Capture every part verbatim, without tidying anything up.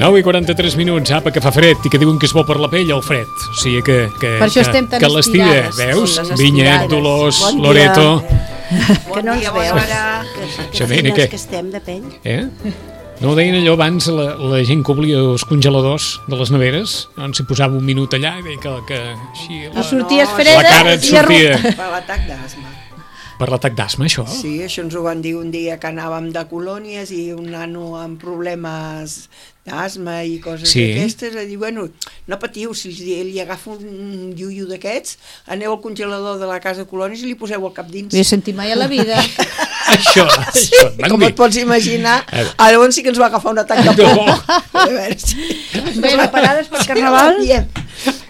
nou i quaranta-tres minuts, apa, que fa fred i que diuen que és bo per la pell el fred. O sigui que, que, per això que, estem tan que l'estira, veus? Vinyet, Dolors, bon Loreto... Que no ens veus. Que fines que estem de pell. Eh? No ho deien allò abans, la, la gent que oblia els congeladors de les neveres, doncs s'hi posava un minut allà i deia que... que així, la, sorties freda, la cara et sortia. Per l'atac d'asma. Per l'atac d'asma, això? Sí, això ens ho van dir un dia que anàvem de colònies i un nano amb problemes d'asma i coses sí. d'aquestes, a dir, bueno, no patiu, si ell li agafa un iuiu d'aquests, aneu al congelador de la casa de colònies i li poseu el cap dins. No he sentit mai a la vida. Això, sí, això, com et pots imaginar, a llavors sí que ens va agafar un atac de por. A veure, sí. Bé, preparades per Carnaval?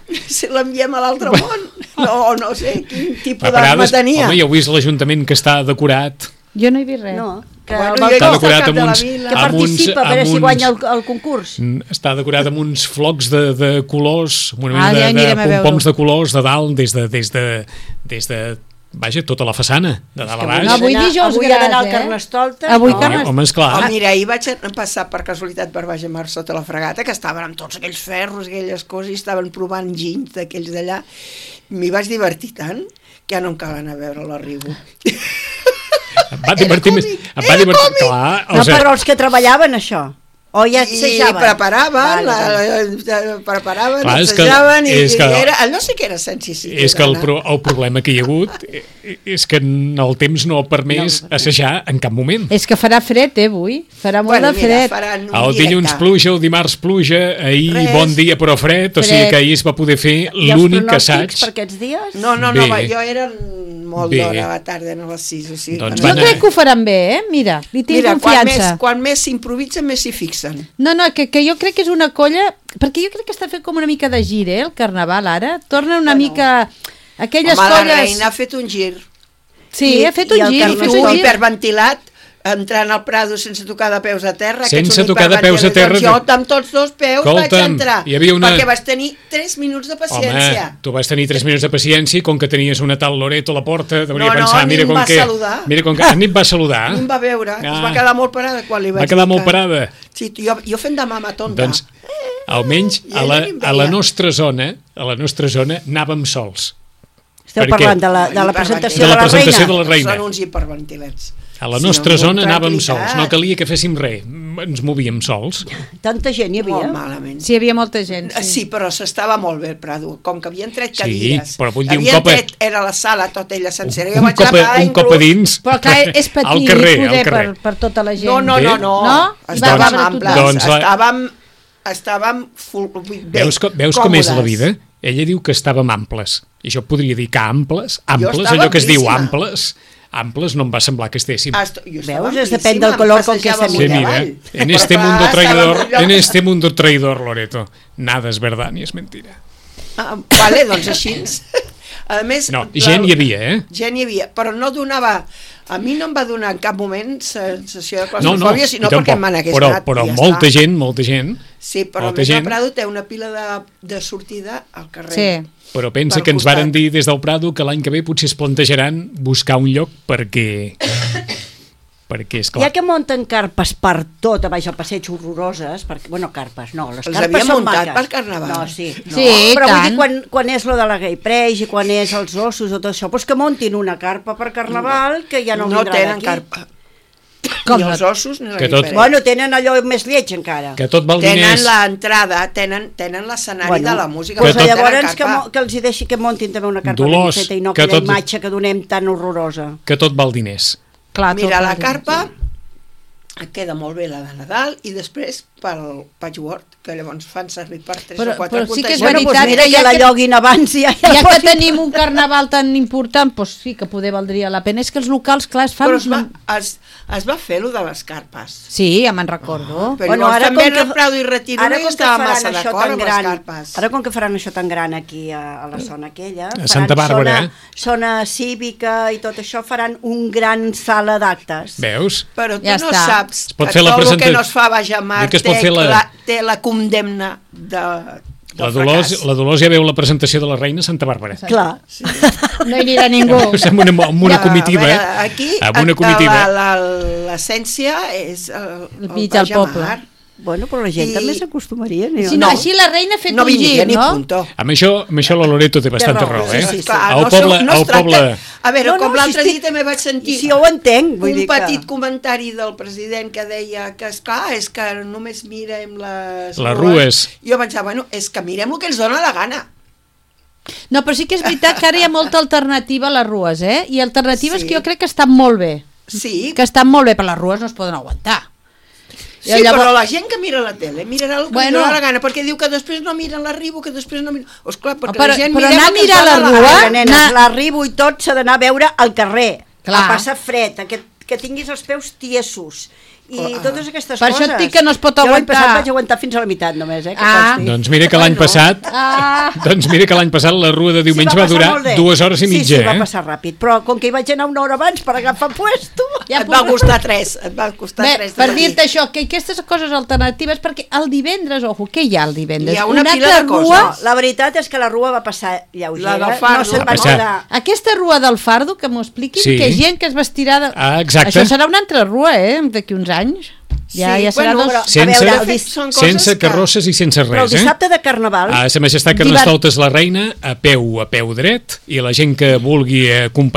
Si l'enviem a l'altre món, no, no sé quin tipus d'asma tenia. Home, ja heu vist l'Ajuntament que està decorat. Jo no he vist res. No, que bueno, està decorat amb uns... Que participa per si guanya el, el concurs. Està decorat amb uns flocs de, de colors, una mena ah, de, ja de pompoms de colors de dalt, des de, des de, des de vaja, tota la façana, de dalt a baix. No, avui dijous avui gras, ha d'anar al eh? Carnestoltes. Avui no. Home, home, esclar. Oh, mira, ahir vaig passar per casualitat per baix a mar sota la fregata, que estaven amb tots aquells ferros, aquelles coses, i estaven provant ginys d'aquells d'allà. M'hi vaig divertir tant que ja no em cal anar a veure l'arribo. Em va divertir més... Em va divertir... Clar, no, però els que treballaven això. O ja assajaven? I preparaven, vale, vale. preparaven, clar, assajaven, que, i, que, i era, no sé què era sensició. És que el, pro, el problema que hi ha hagut és que el temps no ha permès no, assajar en cap moment. És que farà fred, eh, avui? Farà molt bueno, de fred. Mira, el dilluns pluja, el dimarts pluja, ahir Res. bon dia però fred, o sigui que ahir es va poder fer l'únic assaig. Per aquests dies? No, no, no, va, jo era molt d'hora a la tarda, a les sis. O sigui, doncs jo crec que ho faran bé, eh? Mira, li tinc Mira, confiança. Quan més, més s'improvisa, més s'hi fixen. No, no, que, que jo crec que és una colla... Perquè jo crec que està fent com una mica de gir, eh, el Carnaval, ara. Torna una bueno. mica... Aquelles Home, colles... la reina ha fet un gir. Sí, I, ha fet un gir. I el Carnaval hiperventilat, entrant al Prado sense tocar de peus a terra. Sense tocar de peus a terra. Doncs jo amb tots dos peus Escolta'm, vaig entrar, hi havia una... perquè vas tenir tres minuts de paciència. Home, tu vas tenir tres minuts de paciència i com que tenies una tal Loreto a la porta, devia no, no, pensar... mira com va que... saludar. Mira com que... Ni em va saludar. Ni em va veure, ah. es va quedar molt parada quan li vaig va quedar dir molt que... parada. Sí, jo, jo fent de mama tonta. Doncs, almenys a la, a la nostra zona, a la nostra zona anàvem sols. Esteu perquè... parlant de la, de la presentació de la, de la, presentació reina? de la reina. Són uns hiperventilats. A la nostra sí, zona anàvem sols, no calia que féssim res, ens movíem sols. Tanta gent hi havia? Molt malament. Sí, hi havia molta gent. Sí, sí però s'estava molt bé el Prado, com que havien tret cadires. Sí, però vull dir un havien cop... tret, era la sala tota ella sencera. Un, un, cop, a, un cop a dins... Però clar, és petit, al carrer, poder al carrer. Per, per tota la gent. No, no, no, no. no? Estàvem amples, doncs la... estàvem, estàvem full, bé, veus, veus com és la vida? Ella diu que estàvem amples, i jo podria dir que amples, amples, allò que es diu amples... Amples no em va semblar que estéssim. Esto, Veus? Es depèn del color con que se mira. mira. En este mundo traidor, en este mundo traidor, Loreto, nada es verdad ni es mentira. Ah, vale, doncs així. A més, no, gent hi havia, eh? Gent hi havia, però no donava... A mi no em va donar en cap moment sensació de claustrofòbia, no, no, sinó perquè me n'hagués però, anat. Però ja molta està. gent, molta gent... Sí, però més gent... el Prado té una pila de, de sortida al carrer. Sí. Però pensa que ens costat. Varen dir des del Prado que l'any que ve potser es plantejaran buscar un lloc perquè perquè és clar... Ja que munten carpes per tot a baix al passeig horroroses, perquè, bueno, carpes, no, les Els carpes són muntat maques. per Carnaval. No, sí, no. Sí, però vull tant. dir, quan, quan és lo de la Gay Preix i quan és els ossos o tot això, doncs que muntin una carpa per Carnaval que ja no, no vindrà tenen d'aquí. carpa. Com Ni no? els ossos ni la Que tot- guipereta. Bueno, tenen allò més lleig encara. Que tot val Tenen diners... l'entrada, tenen, tenen l'escenari Bueno, de la música. Doncs Que tot- llavors que, mo- que els hi deixi que muntin també una carpa Dolors, ben feta i no que aquella tot- imatge que donem tan horrorosa. Que tot val diners. Clar, tot Mira, la val. carpa et queda molt bé la de Nadal i després pel patchwork, que llavors fan servir per tres Però- o quatre però sí que és contagiats. Bueno, doncs veritat mira que que ja la que- lloguin abans i ja, Ja que posin- tenim un carnaval tan important, doncs sí que poder valdria la pena. És que els locals, clar, es fan... Però es va, es, es va fer lo de les carpes. Sí, ja me'n recordo. Però Bueno, llavors ara també com que- Reprado i Retiro Ara no com que estava faran massa això d'acord tan amb les gran, carpes. ara com que faran això tan gran aquí a, a la zona aquella, faran Santa Bàrbara, zona, eh? zona cívica i tot això, faran un gran sala d'actes. Veus? Però tu Ja no està. saps Es pot que fer la tot el presenta- que no es fa a Baix a Mar Dic que es pot té, fer la- la... té la condemna de, La del Dolors, fracàs. la Dolors ja veu la presentació de la reina a Santa Bàrbara. Clar. No hi anirà ningú. Amb una, amb una Ja, comitiva, a veure, eh? Aquí Amb una comitiva. la- la- l'essència és el, El el mig del Baix a poble. Mar. Bueno, però la gent I- també s'acostumaria. ni- Si no, així la reina ha fet no un vindria gir, ni no? punto. Amb això, amb això la Loreto té bastanta raó, raó, sí, eh? sí, sí. Clar, El no, poble, no es el tracta- poble... A veure, No, no, com si l'altre estic- dia també vaig sentir Si ho entenc, vull un dir que... petit comentari del president que deia que, esclar, és que només mirem les, Les rues. Jo pensava, bueno, és que mirem el que ens dona la gana. No, però sí que és veritat que ara hi ha molta alternativa a les rues, eh? I alternatives Sí. que jo crec que estan molt bé. Sí, Que estan molt bé, però les rues no es poden aguantar. sí I llavors- però la gent que mira la tele mirarà el que Bueno. bueno, dona la gana, perquè diu que després no miren la Ribo, que després no miren... Oh, esclar, perquè Però- la gent però mirem anar el que a mirar ens dona la la rua- gana. Ara, nenes, Na- l'arribo i tot s'ha d'anar a veure al carrer, Clar. a passar fred, a que, que tinguis els peus tiesos i Clar. totes aquestes Per coses. això et dic que no es pot Jo l'any aguantar. passat vaig aguantar fins a la meitat només, eh? Que Ah. consti. Doncs mira que l'any Bueno. passat... Ah. Doncs mira que l'any passat la rua de diumenge Sí, va, passar durar molt bé. dues hores i mitja, sí, sí, va eh? passar ràpid, però com que hi vaig anar una hora abans per agafar puesto... Ja Et va puc- costar tres, et va costar Bé, tres. de per matí. dir-te això, que aquestes coses alternatives, perquè el divendres, ojo, què hi ha el divendres? Hi ha una Una pila altra de coses. rua, No, la veritat és que la rua va passar lleugera. La del Fardo. No se'n Va va passar. quedar... aquesta rua del Fardo, que m'ho expliquin, Sí. que gent que es vestirà... De... Ah, exacte. Això serà una altra rua, eh?, d'aquí uns anys. Ja, Sí, ja serà bueno, dos... però- Sense, A veure, de fet, són coses sense que- carrosses i sense Però el res, eh? dissabte de Carnaval... A Sa Majestat Carnestoltes la reina a peu, a peu dret, i la gent que vulgui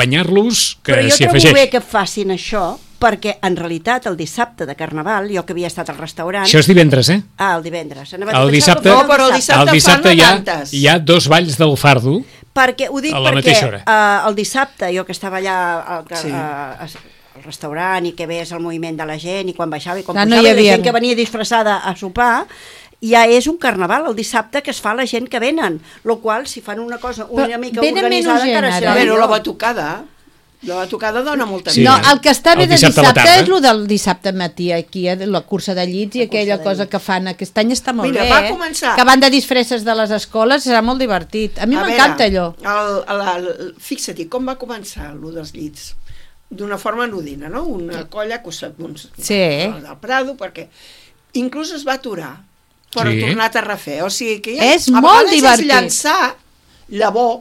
acompanyar-los, que Però jo s'hi trobo afegeix. bé que facin això, perquè en realitat el dissabte de Carnaval, jo que havia estat al restaurant... Això és divendres, eh? Ah, el divendres. Anava a El pensar dissabte, que No, fos però el dissabte el dissabte fan hi ha, noventas. hi ha dos balls del fardo. Perquè, ho dic a la perquè mateixa hora. uh, el dissabte, jo que estava allà al, Sí. sí. a, a, al restaurant i que veies el moviment de la gent i quan baixava i quan Clar, no pujava hi i la havia- gent que venia disfressada a sopar, ja és un carnaval el dissabte que es fa la gent que venen, lo qual si fan una cosa una Però mica venen organitzada menys encara gent, serà ara. Però millor. la batucada, la batucada dona molta Sí. No, vida. el que està bé El de dissabte a la dissabte tarda. és el del dissabte matí, aquí, eh, la cursa de llits i La aquella cursa de cosa llits. que fan. Aquest any està molt Mira, bé, va eh? començar- Que van de disfresses de les escoles, serà molt divertit. A mi A m'encanta veure, allò. El, el, el, fixa't, com va començar allò dels llits? D'una forma anodina, no? Una colla que sap uns Sí. del Prado, perquè inclús es va aturar per Sí. tornar a refer. O sigui que ja, És a molt vegades divertit. és llançar llavor,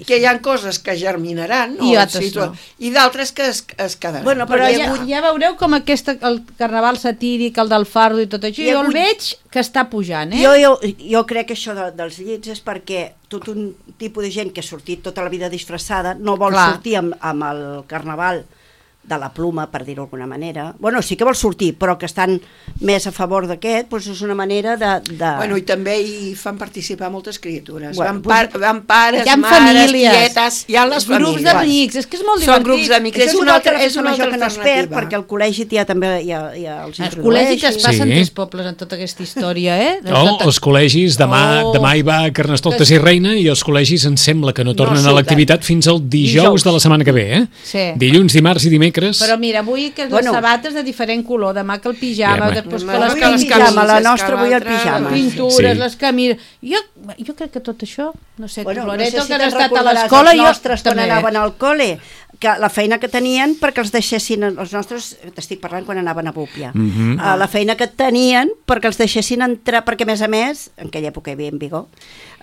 que hi ha coses que germinaran I o altres situa- no. i d'altres que es, es quedaran. Bueno, Però Perquè ja, avui- ja veureu com aquest, el carnaval satíric, el del fardo i tot això, I jo el avui- veig que està pujant, eh? Jo, jo, jo crec que això de, dels llits és perquè tot un tipus de gent que ha sortit tota la vida disfressada no vol Clar. sortir amb, amb el carnaval de la pluma, per dir-ho d'alguna manera. Bueno, sí que vol sortir, però que estan més a favor d'aquest, doncs és una manera de... de... Bueno, i també hi fan participar moltes criatures. Bueno, Bueno, van, par, van pares, hi ha mares, famílies, tietes, hi ha les grups famílies. d'amics, és que és molt Són divertit. grups d'amics, Això és és una altra, altra és una festa altra major que no es perd, alternativa. perquè al col·legi ja també hi ha, hi ha els Els col·legis es passen Sí. tres pobles en tota aquesta història, eh? De No, tota- els col·legis, demà, Oh. demà hi va Carnestoltes i Reina i els col·legis em sembla que no tornen a surten. l'activitat fins al dijous, Dijous. de la setmana que ve, eh? Sí. Dilluns, dimarts i dimecres. Però mira, avui que les Bueno. sabates de diferent color, demà que el pijama, Ja, després home. que les Avui Avui el les camises, pijama, la camises, nostra que avui el l'altra- pijama. les pintures, Sí. les camines... Jo, jo crec que tot això, no sé, Bueno, tu, no Loreto, sé si que has te'n estat a recordaràs l'escola, els jo nostres quan també. anaven al col·le, que la feina que tenien perquè els deixessin, els nostres, t'estic parlant quan anaven a Búpia, mm-hmm. uh, la feina que tenien perquè els deixessin entrar, perquè a més a més, en aquella època hi havia en vigor,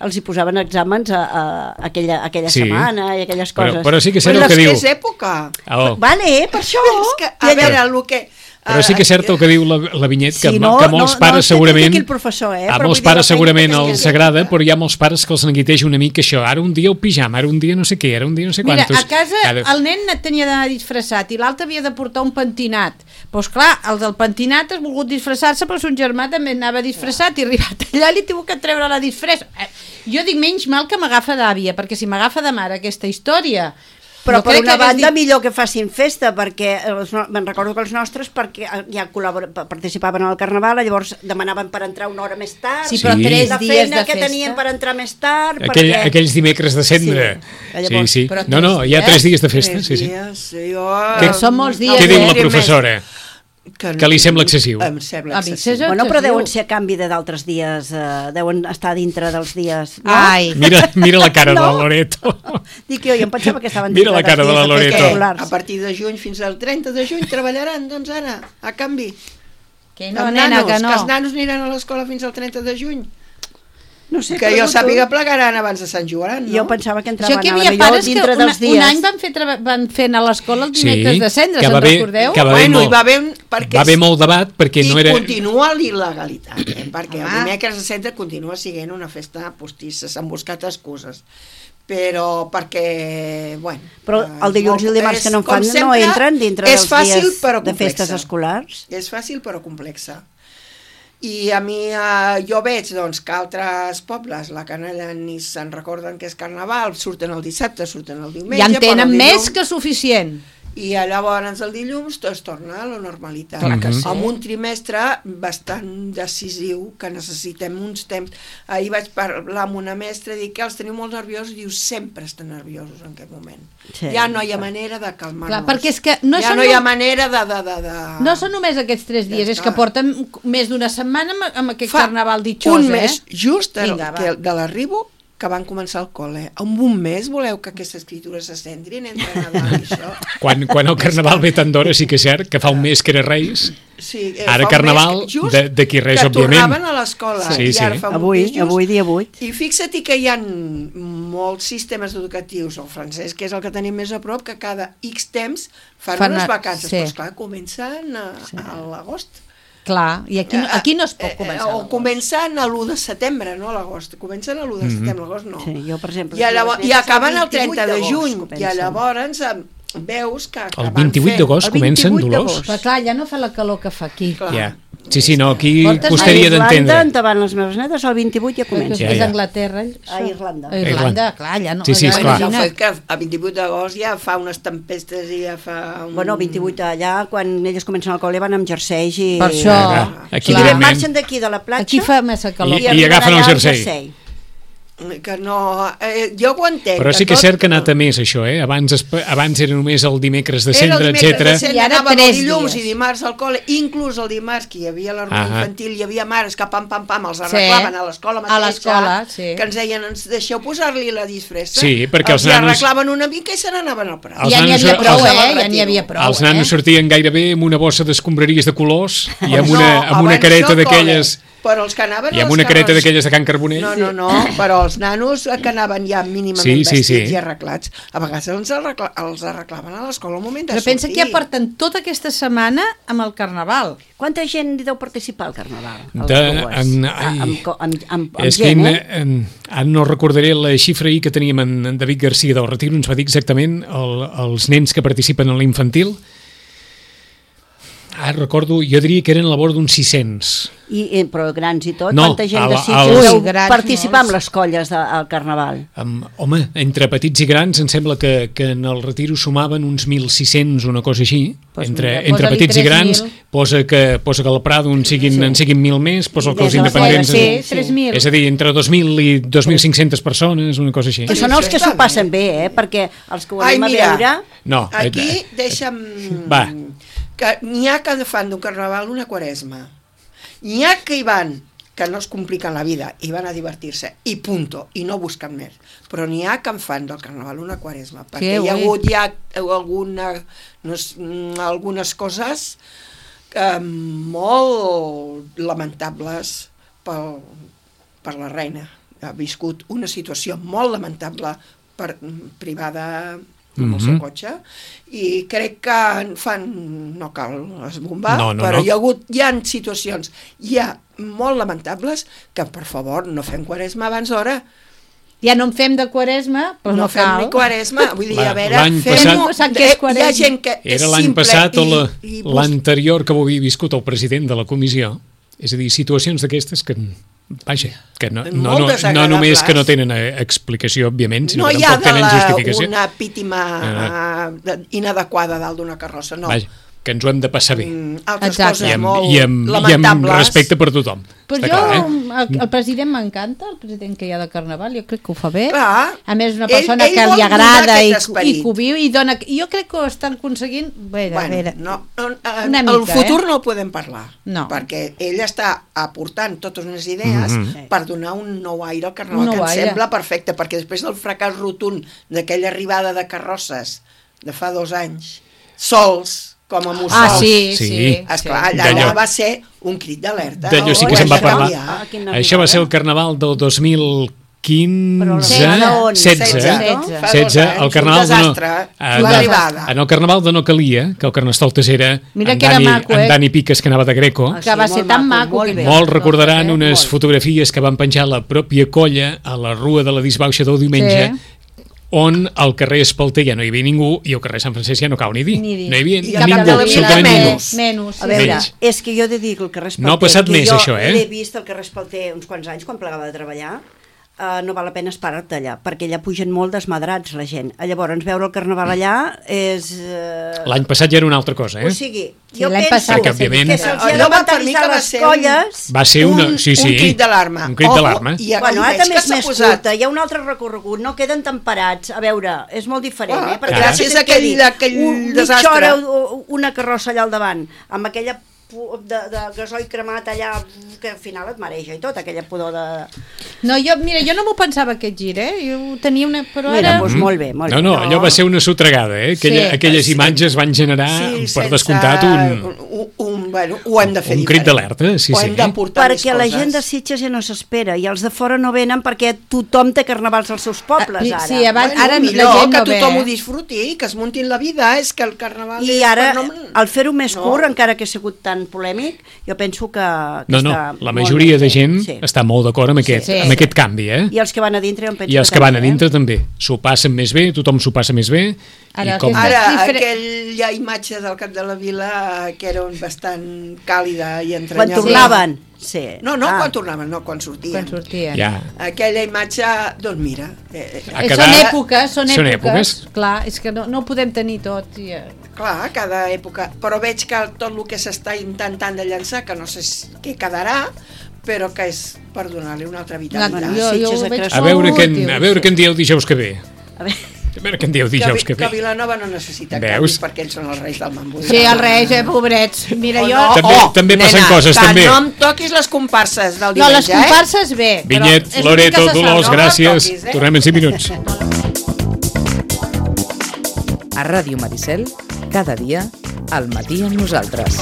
els hi posaven exàmens a, a, a aquella, a aquella sí. setmana i aquelles coses. Però, però sí que és cert el que diu. Però és que és època. Oh. Vale, per això. És que, a veure, el que... Però sí que és cert el que diu la, la Vinyet, que, sí, no, que molts no, pares no, segurament professor, eh? a molts pares segurament els agrada, però hi ha molts pares que els neguiteja una mica això, ara un dia el pijama, ara un dia no sé què, ara un dia no sé quantos. Mira, a casa cada... el nen tenia d'anar disfressat i l'altre havia de portar un pentinat. Doncs clar, el del pentinat ha volgut disfressar-se, però son germà també anava disfressat i arribat allà li tinc que treure la disfressa. Jo dic, menys mal que m'agafa d'àvia, perquè si m'agafa de mare aquesta història... Però per una banda dit... millor que facin festa, perquè els, me'n recordo que els nostres perquè ja participaven al Carnaval, llavors demanaven per entrar una hora més tard, sí, però sí. tres la dies feina de que festa. Tenien per entrar més tard... Aquell, perquè... Aquells dimecres de cendre. Sí, llavors, sí, sí. No, no, hi ha tres dies de festa. Tres sí, sí. dies, jo... Que, són molts dies. Què diu la professora? Que, que li sembla excessiu. Em sembla excessiu. Bueno, però deuen ser a canvi de d'altres dies, eh, deuen estar dintre dels dies... No? Ai. Mira, mira la cara no. de la Loreto. Dic jo, jo em pensava que estaven dintre mira la cara de la Loreto. A partir de juny fins al trenta de juny treballaran, doncs ara, a canvi. Que no, nena, nanos, que no. Que els nanos aniran a l'escola fins al trenta de juny. No sé, que jo sàpiga plegaran abans de Sant Joan, no? Jo pensava que entraven que a la millor dintre una, dels dies. Un any van fer, van fer a l'escola els dimecres sí, de cendra, se'n recordeu? Que va bueno, molt, hi va haver, perquè va haver molt debat perquè i no era... I continua l'il·legalitat, eh? perquè el dimecres de cendra continua sent una festa postissa, s'han buscat excuses. Però perquè, bueno... Però el dilluns i el dimarts que no en fan no entren dintre dels dies de festes escolars? És fàcil però complexa. I a mi, eh, jo veig doncs, que altres pobles, la Canalla ni se'n recorden que és Carnaval, surten el dissabte, surten el diumenge... Ja en tenen més que suficient. I llavors el dilluns es torna a la normalitat. Clar que sí. Amb un trimestre bastant decisiu, que necessitem uns temps. Ahir vaig parlar amb una mestra i dic que els teniu molt nerviosos, i diu, sempre estan nerviosos en aquest moment. Sí. Ja no hi ha manera de calmar-nos. Clar, perquè és que no ja no hi ha manera de... de, de, de... No són només aquests tres dies, ja és que porten més d'una setmana amb, amb aquest Fa carnaval ditxós, un eh? mes, just Vinga, el, de l'arribo, que van començar el col·le. En un mes voleu que aquesta escriptura se centrin entre Nadal i això? Quan, quan el Carnaval ve tant d'hora, sí que és cert que fa un mes que era Reis. Sí, eh, ara Carnaval, d'aquí res, que òbviament. Que tornaven a l'escola. Sí, sí. Avui, avui dia vuit. I fixa't que hi ha molts sistemes educatius, el francès, que és el que tenim més a prop, que cada X temps fan, fan unes vacances. Sí. Però esclar, comencen a, sí. a l'agost. Clar, i aquí, aquí no es pot començar. O comencen a l'u de setembre, no a l'agost. Comencen a l'u de setembre, a l'agost no. Sí, jo, per exemple... I, llavors, i acaben el trenta de juny, i llavors veus que... El vint-i-vuit d'agost comencen, Dolors? Però clar, ja no fa la calor que fa aquí. Clar. Ja. Sí, sí, no, aquí costaria d'entendre. A Irlanda, endavant les meves netes, el vint-i-vuit ja comença. Ja, ja. És Anglaterra. A Irlanda. A Irlanda, clar, ja no... Sí, sí, esclar. El fet que a vint-i-vuit d'agost ja fa unes tempestes i ja fa... Un... Bueno, vint-i-vuit allà, quan elles comencen al col·le, van amb jerseis i... Per això... Aquí i marxen d'aquí, de la platja... Aquí fa massa calor. I, i agafen el jersei. Que no... Eh, jo ho entenc. Però sí que és cert que ha anat a més, això, eh? Abans, abans era només el dimecres de cendre, etcètera. I ara tres dilluns i dimarts al col·le, inclús el dimarts, que hi havia l'hormona infantil, hi havia mares que pam, pam, pam, els arreglaven sí. a l'escola mateixa, a l'escola, sí. que ens deien, ens deixeu posar-li la disfressa. Sí, perquè els, els nanos... arreglaven una mica i se n'anaven al prat. Ja n'hi havia prou, eh? Ja n'hi havia prou, els nanos sortien gairebé amb una bossa d'escombraries de colors i amb una, amb una careta d'aquelles... Però els que anaven i amb una careta d'aquelles de Can Carbonell. No, no, no, però els nanos que anaven ja mínimament sí, sí, vestits sí. i arreglats, a vegades els, arregla, els arreglaven a l'escola al moment de però sortir. Pensa que ja porten tota aquesta setmana amb el Carnaval. Quanta gent hi deu participar al Carnaval? De, en, ai, amb, amb, amb, amb és gent, que eh? En, en, no recordaré la xifra ahir que teníem en, en David Garcia del Retiro, ens va dir exactament el, els nens que participen en l'infantil. Ah, recordo, jo diria que eren a la vora d'uns sis-cents. I, però grans i tot? No, quanta gent a, de Sitges deu participar en les colles del Carnaval? Um, home, entre petits i grans em sembla que, que en el Retiro sumaven uns mil sis-cents, una cosa així. Pues entre mira, entre petits i grans, posa que, posa que al Prado en siguin, sí. en siguin mil més, posa que els independents... Sí, tres mil. És a dir, entre dos mil i dos mil cinc-centes persones, una cosa així. Que són els que s'ho passen bé, eh? Perquè els que ho anem a veure... No, aquí deixa'm... Va. Que n'hi ha que fan d'un carnaval una quaresma. N'hi ha que hi van que no es compliquen la vida i van a divertir-se, i punto, i no busquen més. Però n'hi ha que en fan del carnaval una quaresma, perquè Que hi ha ui. hagut ja alguna, no, és, algunes coses eh, molt lamentables pel, per la reina. Ha viscut una situació molt lamentable per, privada amb el seu cotxe, i crec que fan, no cal esbombar, No, no, però no. hi ha hagut, hi ha situacions ja molt lamentables que, per favor, no fem quaresma abans d'hora, Ja no en fem de quaresma, però no, no, fem cal. ni quaresma, vull dir, La- a veure, l'any fem-ho, passat- Sap què és eh, hi ha quaresma? gent que és Era l'any simple passat o la- i, i bus- l'anterior que ho havia viscut el president de la comissió. És a dir, situacions d'aquestes que, vaja, que no, no, Molt no, no desagradables. només que no tenen eh, explicació, òbviament, sinó no que hi ha tampoc de tenen la, justificació. una pítima Ah. uh, inadequada dalt d'una carrossa, no. Vaja, que ens ho hem de passar bé. Mm, altres Exacte. coses I amb, molt i, amb, i amb lamentables. respecte per tothom. Però Està jo, clar, eh? el, el president m'encanta, el president que hi ha de Carnaval, jo crec que ho fa bé. Clar. A més, és una Ell- persona ell que vol li agrada donar i, aquest i esperit. que ho viu i dona... Jo crec que ho estan aconseguint... Bé, a Bueno, veure, no, no, eh, una el mica, futur eh? no el podem parlar, No. perquè ell està aportant totes unes idees Mhm. per donar un nou aire al carnaval, Un nou que em aire. sembla perfecte, perquè després del fracàs rotund d'aquella arribada de carrosses de fa dos anys, sols, com a mussols, Ah, sí, Sí. sí. esclar, sí. allà D'allò- va ser un crit d'alerta. D'allò sí Ho que se'n va hem de parlar. canviar. Ah, quin Això va ser el carnaval del dos mil quinze, Però on? setze, setze. Fa dos setze, anys, el carnaval un de no, desastre, en, l'arribada. en el carnaval de no calia, que el carnestoltes era Mira en que era Dani, maco, eh? en Dani Piques, que anava de greco. Ah, Que va Sí, ser molt tan maco, maco. molt que- bé. Molts recordaran Eh? unes molt. fotografies que van penjar la pròpia colla a la Rua de la Disbauxa del diumenge, Sí. on al carrer Espalter ja no hi havia ningú i al carrer Sant Francesc ja no cau ni dir. Ni dir. No hi havia I ningú, cap de la vila absolutament ningú. menys. Menys, A sí. veure, Menys. és que jo he de dir que el carrer Espalter... No ha passat que més, jo això, eh? l'he vist al carrer Espalter uns quants anys, quan plegava de treballar, uh, no val la pena esperar-te allà, perquè allà pugen molt desmadrats la gent. Llavors, veure el carnaval allà és... Uh... L'any passat ja era una altra cosa, eh? O sigui, Sí, jo l'any penso passat Perquè, òbviament, que se'ls Allò ha de va per mi que mentalitzar va les ser un- colles... Va ser una... un, Sí, sí. un crit d'alarma. Un crit Ojo, d'alarma. i, Bueno, i ara veig també que és s'ha més posat... curta, hi ha un altre recorregut, no queden tan parats. A veure, és molt diferent, Clar, eh? Perquè clar. gràcies Gràcies a aquell- aquell desastre. Mitja hora o- una carrossa allà al davant, amb aquella pu- de, de gasoil cremat allà, que al final et mareja i tot, aquella pudor de... No, jo, mira, jo no m'ho pensava aquest gir, eh? Jo tenia una... Però Mira, ara... doncs molt bé, molt No, bé. no, allò va ser una sotregada, eh? Aquella, Sí. aquelles Sí. imatges van generar, Sí, per sense- descomptat, un... un, un, bueno, ho hem de fer un crit diferent. d'alerta, sí, ho sí. hem de portar més Perquè la coses. gent de Sitges ja no s'espera i els de fora no venen perquè tothom té carnavals als seus pobles, Ah, ara. sí, abans- Bueno, ara millor la gent que no ve, tothom eh? ho disfruti, que es muntin la vida, és que el carnaval I és ara, per no... al fer-ho més No. curt, encara que ha sigut tan polèmic, jo penso que, que No, no, està la molt majoria ben de fet, gent sí. està molt d'acord amb, aquest, Sí. amb aquest canvi, eh? I els que van a dintre jo em penso I els que també, van a dintre eh? també. S'ho passen més bé, tothom s'ho passa més bé. Ara, I com... aquesta- Ara, diferent. aquella imatge del cap de la vila que era bastant càlida i Quan entranyable. tornaven, sí. No, no, Ah. quan tornaven, no, quan sortien. Quan sortien. Ja. Aquella imatge, doncs mira... Eh, Ha Eh, quedat- Són èpoques, són Són èpoques. èpoques. Clar, és que no, no ho podem tenir tot. I, eh, clar, cada època... Però veig que tot el que s'està intentant de llançar, que no sé si- què quedarà, però que és per donar-li una altra vitalitat. Una- jo- jo, jo Sitges ho ha veig crescut. A veure, què, en- útil, a veure sí. què en dieu dijous que ve. A veure, A veure què en dieu que, dijous que que ve. Vilanova no necessita Veus? canvis perquè ells són els reis del mambo. Sí, els reis, eh, pobrets. Mira, O jo... no, També- oh, també passen nena, coses, que també. no em toquis les comparses del No, diumenge, les comparses bé. però Vinyet, és Loreto, l'únic que se Dolors, sap, no? gràcies. toquis, eh? Tornem en cinc minuts. A Ràdio Maricel, cada dia, al matí amb nosaltres.